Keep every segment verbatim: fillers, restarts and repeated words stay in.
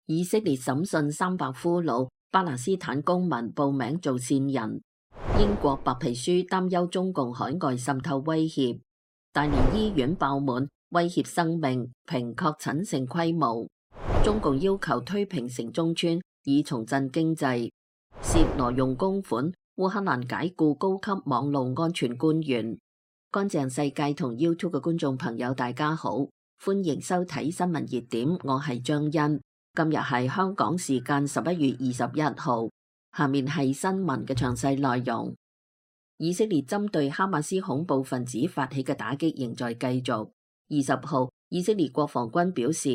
以色列審訊三百俘虜巴勒斯坦公民報名做線人。英國白皮書擔憂中共海外滲透威脅。大連醫院爆滿，威脅生命，評確診成規模。中共要求推平城中村，以重振經濟。涉挪用公款，烏克蘭解雇高級網路安全官員。乾淨世界同 YouTube 嘅觀眾朋友大家好，歡迎收睇新聞熱點，我係張欣。今日係香港時間十一月二十一號，下面係新聞嘅詳細內容。以色列針對哈馬斯恐怖分子發起嘅打擊仍在繼續。二十號，以色列國防軍表示，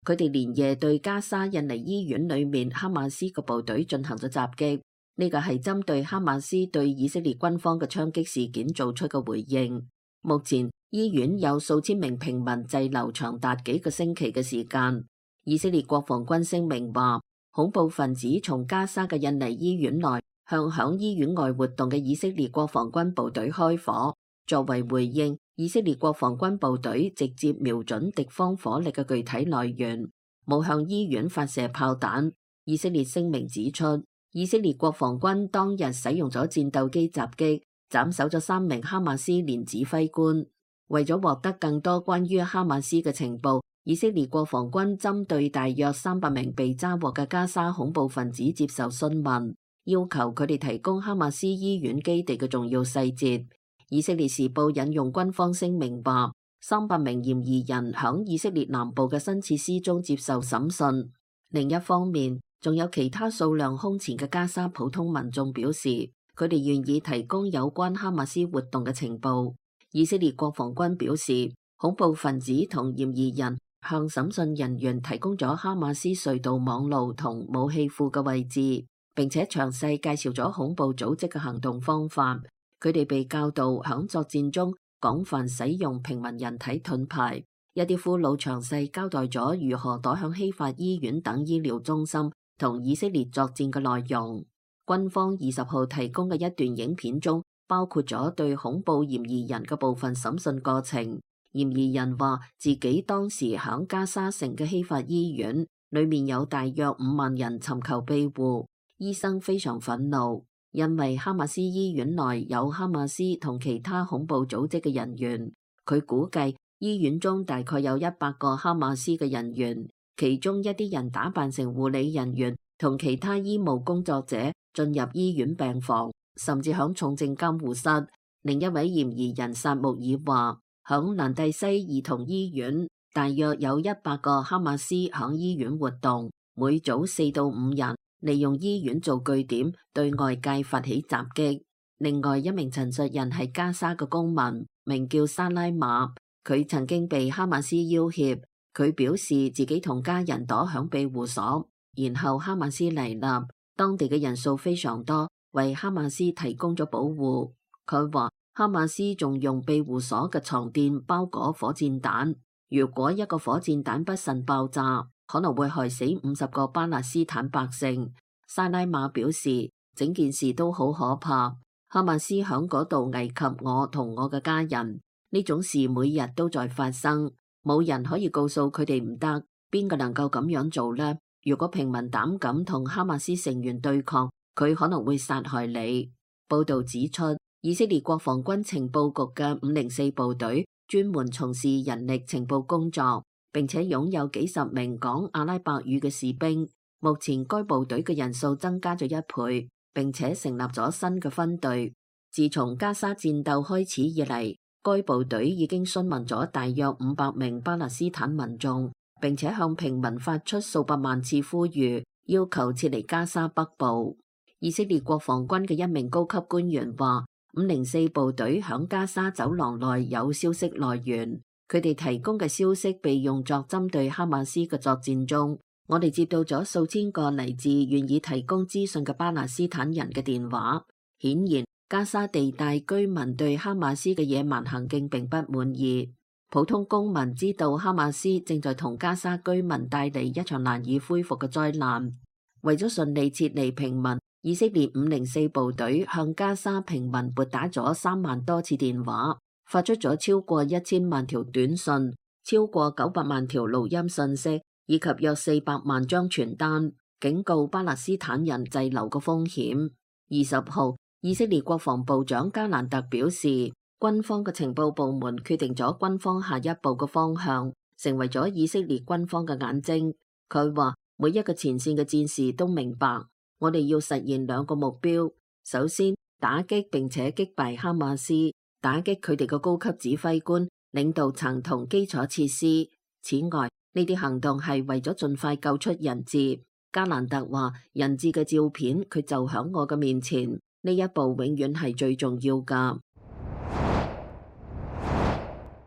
佢哋連夜對加沙印尼醫院裏面哈馬斯嘅部隊進行咗襲擊。呢個係針對哈馬斯對以色列軍方嘅槍擊事件做出嘅回應。目前醫院有數千名平民滯留長達幾個星期嘅時間。以色列國防軍聲明話，恐怖分子從加沙嘅印尼醫院內向響醫院外活動嘅以色列國防軍部隊開火。作為回應，以色列國防軍部隊直接瞄準敵方火力嘅具體來源，冇向醫院發射炮彈。以色列聲明指出，以色列國防軍當日使用咗戰鬥機襲擊，斬首咗三名哈馬斯連指揮官。為咗獲得更多關於哈馬斯嘅情報，以色列國防軍針對大約三百名被抓獲嘅加沙恐怖分子接受詢問，要求佢哋提供哈馬斯醫院基地嘅重要細節。以色列時報引用軍方聲明話，三百名嫌疑人響以色列南部嘅新設施中接受審訊。另一方面，仲有其他數量空前嘅加沙普通民眾表示，佢哋願意提供有關哈馬斯活動嘅情報。以色列國防軍表示，恐怖分子同嫌疑人向審訊人員提供咗哈馬斯隧道網路同武器庫嘅位置，並且詳細介紹咗恐怖組織嘅行動方法。佢哋被教導響作戰中廣泛使用平民人體盾牌。一啲俘虜詳細交代咗如何躲向希法醫院等醫療中心同以色列作戰嘅內容。軍方二十號提供嘅一段影片中，包括咗對恐怖嫌疑人嘅部分審訊過程。嫌疑人話自己當時響加沙城嘅希法醫院裏面有大約五萬人尋求庇護，醫生非常憤怒，因為哈馬斯醫院內有哈馬斯同其他恐怖組織嘅人員。佢估計醫院中大概有一百個哈馬斯嘅人員，其中一啲人打扮成護理人員同其他醫務工作者進入醫院病房，甚至響重症監護室。另一位嫌疑人薩穆爾話，響蘭蒂西兒童醫院大約有一百個哈馬斯響醫院活動，每組四到五人，利用醫院做據點對外界發起襲擊。另外一名陳述人係加沙嘅公民，名叫沙拉馬，佢曾經被哈馬斯要挾，佢表示自己同家人躲響庇護所，然後哈馬斯嚟襲，當地嘅人數非常多，為哈馬斯提供咗保護。佢話哈馬斯仲用庇護所嘅床墊包裹火箭彈，如果一個火箭彈不慎爆炸，可能會害死五十個巴勒斯坦百姓。沙拉馬表示，整件事都好可怕，哈馬斯響嗰度危及我同我嘅家人，呢種事每日都在發生，冇人可以告訴佢哋唔得，邊個能夠咁樣做呢？如果平民膽敢同哈馬斯成員對抗，佢可能會殺害你。報道指出，以色列國防軍情報局嘅五零四部隊專門從事人力情報工作，並且擁有幾十名講阿拉伯語嘅士兵。目前該部隊嘅人數增加咗一倍，並且成立咗新嘅分隊。自從加沙戰鬥開始以嚟，該部隊已經詢問咗大約五百名巴勒斯坦民眾，並且向平民發出數百萬次呼籲，要求撤離加沙北部。以色列國防軍嘅一名高級官員話，五零四部隊響加沙走廊內有消息來源，佢哋提供嘅消息被用作針對哈馬斯嘅作戰中。我哋接到咗數千個嚟自願意提供資訊嘅巴勒斯坦人嘅電話。顯然，加沙地帶居民對哈馬斯嘅野蠻行徑並不滿意。普通公民知道哈馬斯正在同加沙居民帶嚟一場難以恢復嘅災難。為咗順利撤離平民，以色列五零四部隊向加沙平民撥打咗三萬多次電話，發出咗超過一千萬條短信，超過九百萬條錄音信息，以及約四百萬張傳單，警告巴勒斯坦人滯留嘅風險。二十號，以色列國防部長加蘭特表示，軍方嘅情報部門決定咗軍方下一步嘅方向，成為咗以色列軍方嘅眼睛。佢話每一個前線嘅戰士都明白，我哋要實現兩個目標：首先，打擊並且擊敗哈馬斯，打擊佢哋嘅高級指揮官、領導層同基礎設施。此外，呢啲行動係為咗盡快救出人質。加蘭特話：人質嘅照片佢就響我嘅面前，呢一步永遠係最重要㗎。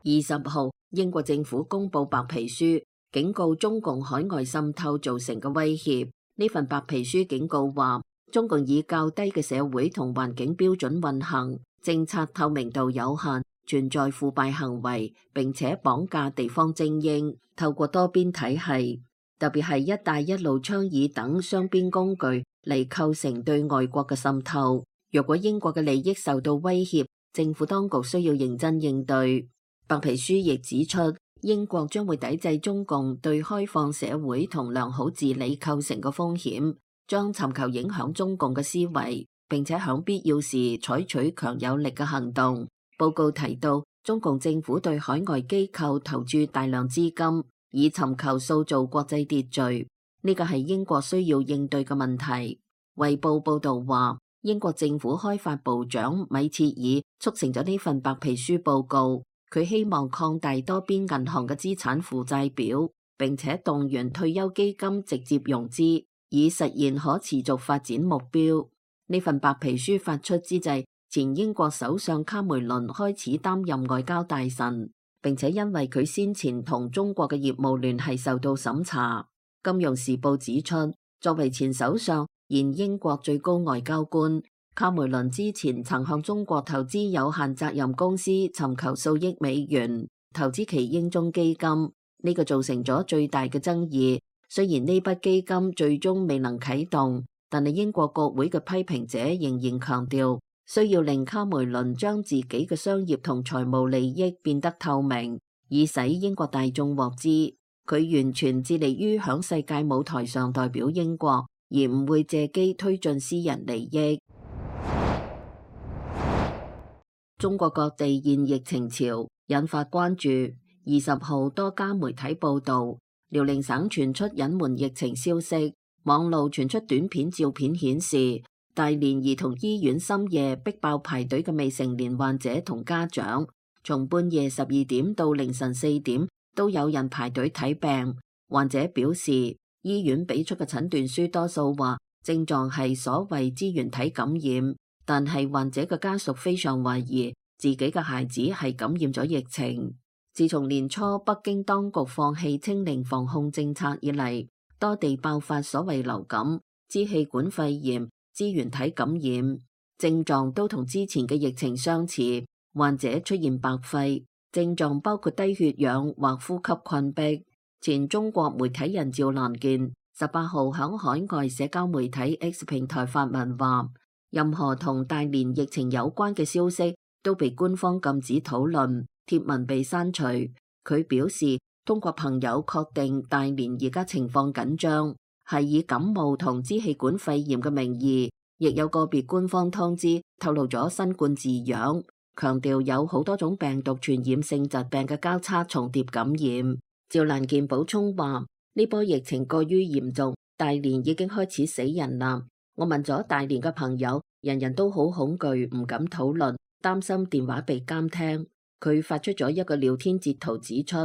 二十號，英國政府公布白皮書，警告中共海外滲透造成嘅威脅。呢份白皮書警告話，中共以較低嘅社會同環境標準運行，政策透明度有限，存在腐敗行為，並且綁架地方精英，透過多邊體系，特別係一帶一路倡議等雙邊工具嚟構成對外國嘅滲透。若果英國嘅利益受到威脅，政府當局需要認真應對。白皮書亦指出，英國將會抵制中共對開放社會同良好治理構成嘅風險，將尋求影響中共嘅思維，並且響必要時採取強有力嘅行動。報告提到，中共政府對海外機構投注大量資金，以尋求塑造國際秩序，呢個係英國需要應對嘅問題。衛報報導話，英國政府開發部長米切爾促成咗呢份白皮書報告，佢希望擴大多邊銀行嘅資產負債表，並且動員退休基金直接融資，以實現可持續發展目標。呢份白皮書發出之際，前英國首相卡梅倫開始擔任外交大臣，並且因為佢先前同中國嘅業務聯繫受到審查。金融時報指出，作為前首相、現英國最高外交官，卡梅倫之前曾向中國投資有限責任公司尋求數億美元，投資其英中基金，呢個造成咗最大嘅爭議。雖然呢筆基金最終未能啟動，但係英國國會嘅批評者仍然強調，需要令卡梅倫將自己嘅商業同財務利益變得透明，以使英國大眾獲知。佢完全致力於響世界舞台上代表英國，而唔會借機推進私人利益。中國各地現疫情潮，引發關注。二十號多家媒體報道，遼寧省傳出隱瞞疫情消息，網路傳出短片照片顯示，大連兒童醫院深夜逼爆排隊嘅未成年患者同家長，從半夜十二點到凌晨四點都有人排隊睇病。患者表示，醫院俾出嘅診斷書多數話症狀係所謂支原體感染，但係患者嘅家屬非常懷疑自己嘅孩子係感染咗疫情。自從年初北京當局放棄清零防控政策以嚟，多地爆發所謂流感、支氣管肺炎、支原體感染，症狀都同之前嘅疫情相似。患者出現白肺，症狀包括低血氧或呼吸困迫。前中國媒體人趙蘭健十八號響海外社交媒體 X 平台發文話，任何同大連疫情有關嘅消息都被官方禁止討論，貼文被刪除。佢表示，通過朋友確定大連而家情況緊張，係以感冒同支氣管肺炎嘅名義，亦有個別官方通知透露咗新冠字樣，強調有好多種病毒傳染性疾病嘅交叉重疊感染。趙蘭健補充話，呢波疫情過於嚴重，大連已經開始死人啦。我問咗大連嘅朋友，人人都好恐懼，唔敢討論，擔心電話被監聽。佢發出咗一個聊天截圖，指出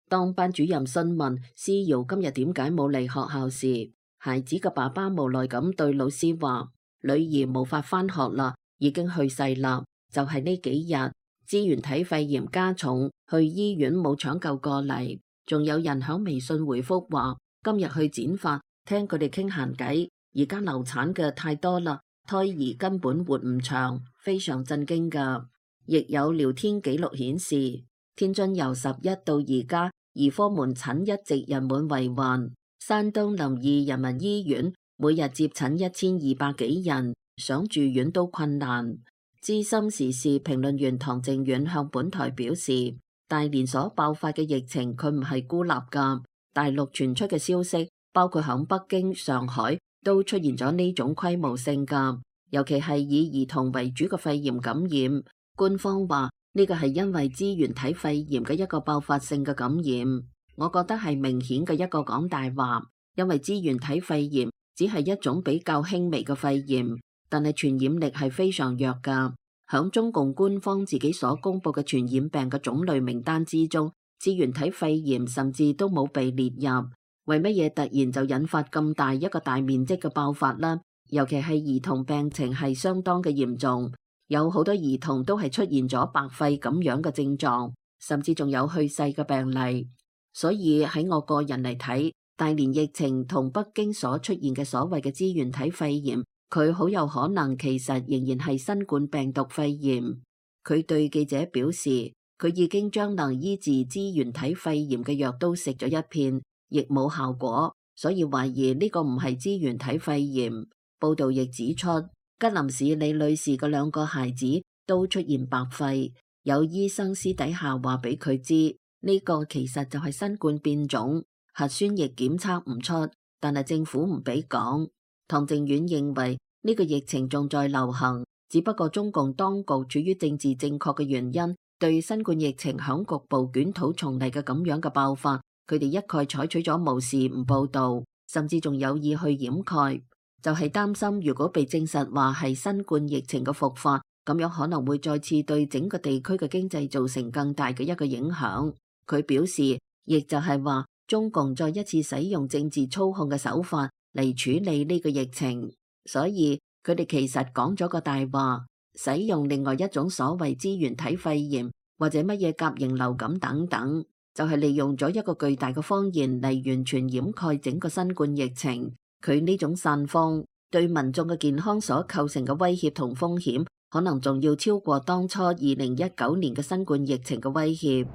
當班主任詢問思瑤今日點解冇嚟學校時，孩子嘅爸爸無奈咁對老師話，女兒無法返學啦，已經去世啦。就係呢幾日支原體肺炎加重，去醫院冇搶救過嚟。仲有人響微信回覆話，今日去剪髮，聽佢哋傾閒偈，而家流產嘅太多啦，胎兒根本活唔長，非常震驚噶。亦有聊天記錄顯示，天津由十一到而家兒科門診一直人滿為患，山東臨沂人民醫院每日接診一千二百幾人，想住院都困難。資深時事評論員唐靖遠向本台表示，大連所爆發嘅疫情佢唔係孤立噶，大陸傳出嘅消息，包括響北京、上海都出現咗呢種規模性㗎，尤其係以兒童為主嘅肺炎感染。官方話呢個係因為支原體肺炎嘅一個爆發性嘅感染，我覺得係明顯嘅一個講大話，因為支原體肺炎只係一種比較輕微嘅肺炎，但係傳染力係非常弱㗎。響中共官方自己所公布嘅傳染病嘅種類名單之中，支原體肺炎甚至都冇被列入。為乜嘢突然就引發咁大一個大面積嘅爆發呢？尤其係兒童病情係相當嘅嚴重，有好多兒童都係出現咗白肺咁樣嘅症狀，甚至仲有去世嘅病例。所以喺我個人嚟睇，大連疫情同北京所出現嘅所謂嘅支原體肺炎，佢好有可能其實仍然係新冠病毒肺炎。佢對記者表示，佢已經將能醫治支原體肺炎嘅藥都食咗一片，亦冇效果，所以懷疑呢個唔係支原體肺炎。報道亦指出，吉林市李女士嘅兩個孩子都出現白肺，有醫生私底下話俾佢知，呢個其實就係新冠變種，核酸亦檢測唔出，但係政府唔俾講。唐靖遠認為呢個疫情仲在流行，只不過中共當局處於政治正確嘅原因，對新冠疫情響局部捲土重嚟嘅咁樣嘅爆發，佢哋一概採取咗無視唔報道，甚至仲有意去掩蓋，就係擔心如果被證實話係新冠疫情嘅復發，咁樣可能會再次對整個地區嘅經濟造成更大嘅一個影響。佢表示，亦就係話中共再一次使用政治操控嘅手法嚟處理呢個疫情，所以佢哋其實講咗個大話，使用另外一種所謂支原體肺炎或者乜嘢甲型流感等等，就係利用咗一個巨大嘅謊言嚟完全掩蓋整個新冠疫情。佢呢種散謊對民眾嘅健康所構成嘅威脅同風險，可能仲要超過當初二零一九年嘅新冠疫情嘅威脅。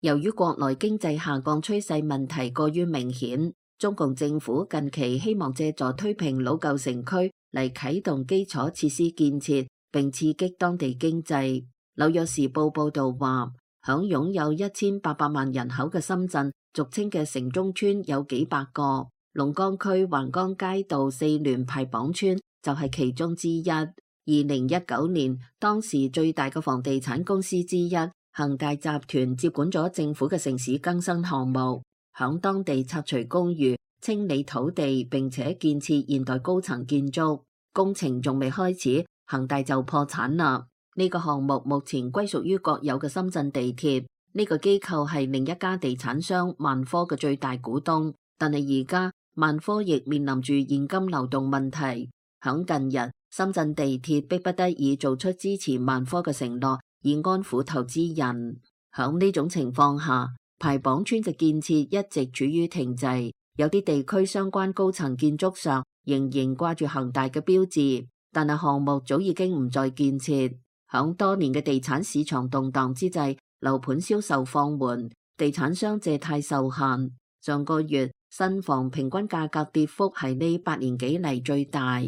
由於國內經濟下降趨勢問題過於明顯，中共政府近期希望借助推平老舊城區嚟啟動基礎設施建設，並刺激當地經濟。紐約時報報導話，響擁有一千八百萬人口嘅深圳，俗稱嘅城中村有幾百個，龍崗區橫江街道四聯排綁村就係其中之一。二零一九年，當時最大嘅房地產公司之一恒大集團接管咗政府嘅城市更新項目，響當地拆除公寓、清理土地，並且建設現代高層建築。工程仲未開始，恒大就破產啦。呢個項目目前歸屬於國有嘅深圳地鐵，呢個機構係另一家地產商萬科嘅最大股東，但係而家萬科亦面臨住現金流動問題。響近日，深圳地鐵迫不得已做出支持萬科嘅承諾，以安撫投資人。響呢種情況下，排綁村嘅建設一直處於停滯，有啲地區相關高層建築上仍然掛住恒大嘅標誌，但係項目早已經唔再建設。響多年嘅地產市場動盪之際，樓盤銷售放緩，地產商借貸受限。上個月新房平均價格跌幅係呢八年幾嚟最大。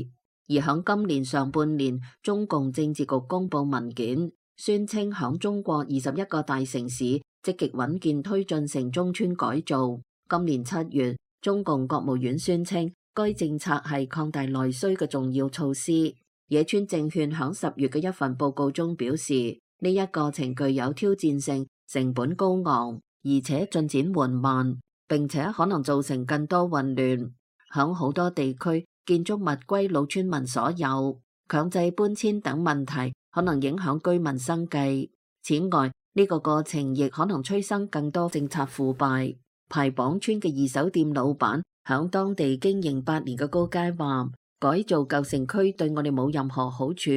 而響今年上半年，中共政治局公布文件，宣稱響中國二十一個大城市積極穩健推進城中村改造。今年七月，中共國務院宣稱該政策係擴大內需嘅重要措施。野村證券響十月嘅一份報告中表示，呢一個程具有挑戰性，成本高昂，而且進展緩慢，並且可能造成更多混亂。響好多地區，建築物歸老村民所有，強制搬遷等問題可能影響居民生計。此外，呢個過程亦可能催生更多政策腐敗。排綁村嘅二手店老闆響當地經營八年嘅高階話，改造舊城區對我哋冇任何好處，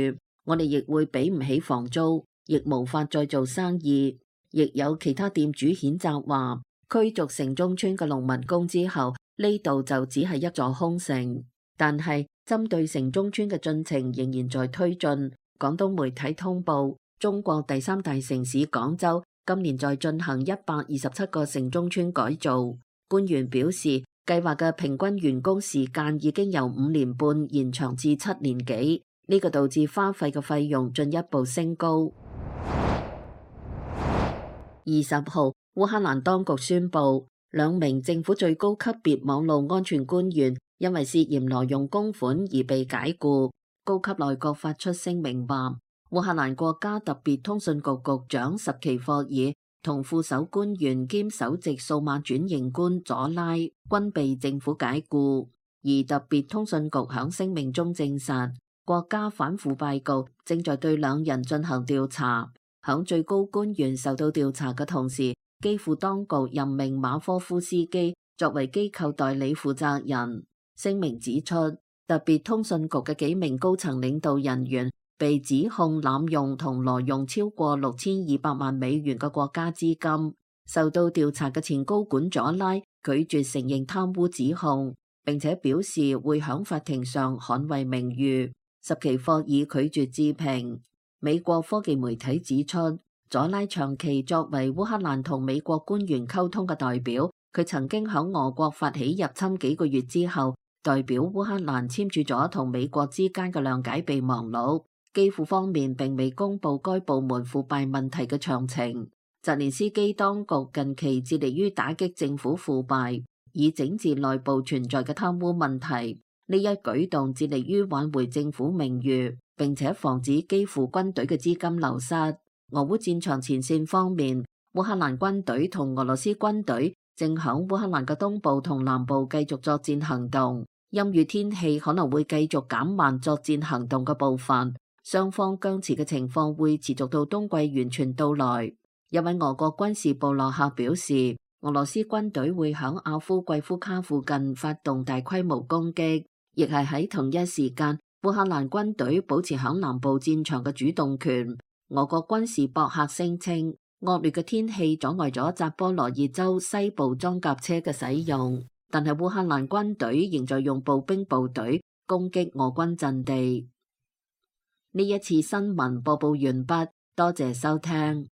我哋亦會俾唔起房租，亦無法再做生意。亦有其他店主譴責話，驅逐城中村嘅農民工之後，呢度就只係一座空城。但係針對城中村嘅進程仍然在推進。廣東媒體通報，中國第三大城市廣州今年在進行一百二十七個城中村改造。官員表示，計劃嘅平均完工時間已經由五年半延長至七年幾，呢個導致花費嘅費用進一步升高。二十號，烏克蘭當局宣布，兩名政府最高級別網絡安全官員因為涉嫌挪用公款而被解雇。高級內閣發出聲明話，烏克蘭國家特別通訊局局長什奇霍爾同副首官員兼首席數碼轉型官佐拉均被政府解雇。而特別通訊局響聲明中證實，國家反腐敗局正在對兩人進行調查。響最高官員受到調查嘅同時，基輔當局任命馬科夫斯基作為機構代理負責人。聲明指出，特別通訊局嘅幾名高層領導人員被指控濫用同挪用超過六千二百萬美元嘅國家資金。受到調查嘅前高管佐拉拒絕承認貪污指控，並且表示會響法庭上捍衛名譽。什奇霍爾拒絕置評。美國科技媒體指出，佐拉長期作為烏克蘭同美國官員溝通嘅代表，佢曾經響俄國發起入侵幾個月之後，代表烏克蘭簽署咗同美國之間嘅諒解備忘錄。基輔方面並未公布該部門腐敗問題嘅詳情。澤連斯基當局近期致力於打擊政府腐敗，以整治內部存在嘅貪污問題。呢一舉動致力於挽回政府名譽，並且防止基輔軍隊嘅資金流失。俄烏戰場前線方面，烏克蘭軍隊同俄羅斯軍隊正響烏克蘭嘅東部同南部繼續作戰行動。陰雨天氣可能會繼續減慢作戰行動嘅步伐，雙方僵持嘅情況會持續到冬季完全到來。一位俄國軍事部落客表示，俄羅斯軍隊會響阿夫季夫卡附近發動大規模攻擊，亦係喺同一時間，烏克蘭軍隊保持響南部戰場嘅主動權。俄國軍事博客聲稱，惡劣嘅天氣阻礙咗扎波羅熱州西部裝甲車嘅使用，但係烏克蘭軍隊仍在用步兵部隊攻擊俄軍陣地。呢一次新聞播報完畢，多謝收聽。